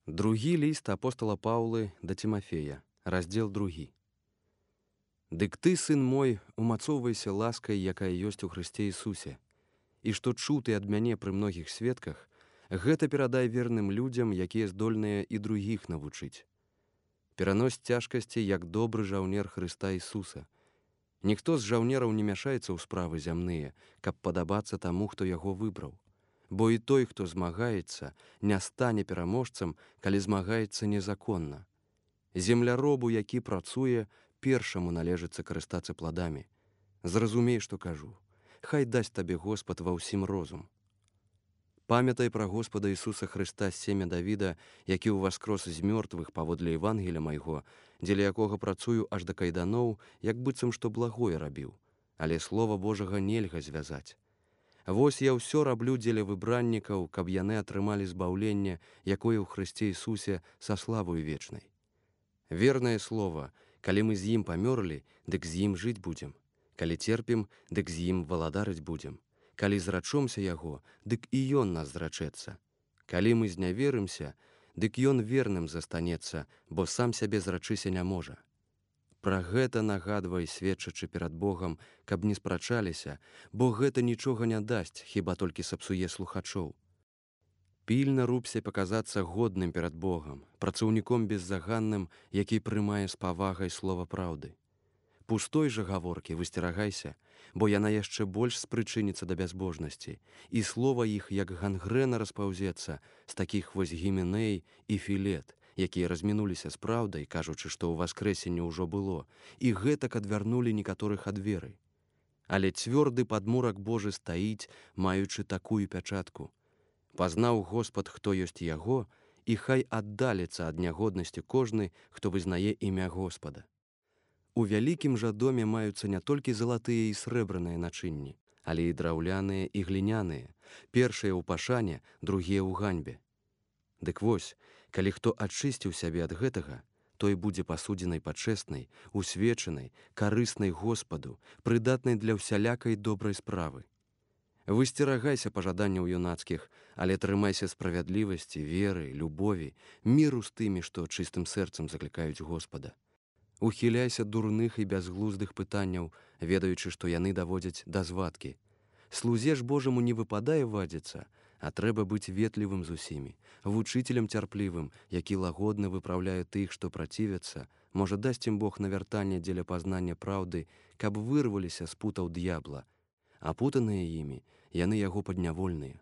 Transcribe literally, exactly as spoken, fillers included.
Другі ліст апостала Паўлы да Тимофея, раздзел другі. Дык ты, сын мой, умацоўвайся ласкай, якая ёсць у Хрысце Ісусе, і што чуў ты ад мяне пры многіх сведках, гэта перадай верным людзям, якія здольныя і другіх навучыць. Перанось цяжкасці, як добры жаўнер Хрыста Ісуса. Ніхто з жаўнераў не мяшаецца ў справы зямныя, каб падабацца таму, хто яго выбраў. Бо і той, хто змагаецца, не стане пераможцам, калі змагаецца незаконна. Земляробу, які працуе, першаму належыцца карыстацца пладамі. Зразумей, што кажу. Хай дасць табе Господ ва ўсім розум. Памятай пра Господа Ісуса Хрыста з семя Давіда, які ўваскрос з мёртвых паводле Евангеля майго, дзеля якога працую аж да кайданоў, як быццам што благое рабіў. Але слова Божага нельга звязаць. Вось я ўсё раблю дзеля выбраннікаў, каб яны атрымалі збаўленне, якое ў Хрысце Ісусе са славою вечнай. Вернае слово, калі мы з ім памёрлі, дык з ім жыць будзем. Калі церпім, дык з ім валадарыць будзем. Калі зрачомся яго, дык і ён нас зрачэцца. Калі мы зняверымся, дык ён верным застанецца, бо сам сябе зрачыся не можа. Пра гэта нагадвай, сведчачы перад Богам, каб не спрачаліся, бо гэта нічога не дасць, хіба толькі сапсуе слухачоў. Пільна рупся паказацца годным перад Богам, працаўніком беззаганным, які прымае з павагай слова праўды. Пустой жа гаворкі высцерагайся, бо яна яшчэ больш спрычыніцца да бязбожнасці, і слова іх, як гангрэна, распаўзецца з такіх вось Гіменей і Філет, якія размінуліся з праўдай, кажучы, што ў васкрэсенне ўжо было, і гэтак адвярнулі некаторых ад веры. Але цвёрды падмурак Божы стаіць, маючы такую пячатку. Пазнаў Господ, хто ёсць яго, і хай аддаліцца ад нягоднасці кожны, хто вызнае імя Господа. У вялікім жа доме маюцца не толькі залатыя і срэбраныя начынні, але і драўляныя і гліняныя, першыя ў пашане, другія ў ганьбе. Дык вось, калі хто ачысціў сябе ад гэтага, той будзе пасудзенай пачэснай, усвечанай, карыснай Господу, прыдатнай для ўсялякай добрай справы. Высцерагайся пажаданняў юнацкіх, але трымайся справядлівасці, веры, любові, міру з тымі, што чыстым сэрцам заклікаюць Господа. Ухіляйся дурных і бязглуздых пытанняў, ведаючы, што яны даводзяць да звадкі. Слузе ж Божаму не выпадае вадзіцца, а трэба быць ветлівым з усімі, вучителем цярплівым, які лагодна выпраўляе тых, што працівяцца, можа дасць ім Бог навяртанне дзеля пазнання праўды, каб вырваліся з путаў д'ябла, апутаныя імі, яны яго паднявольныя.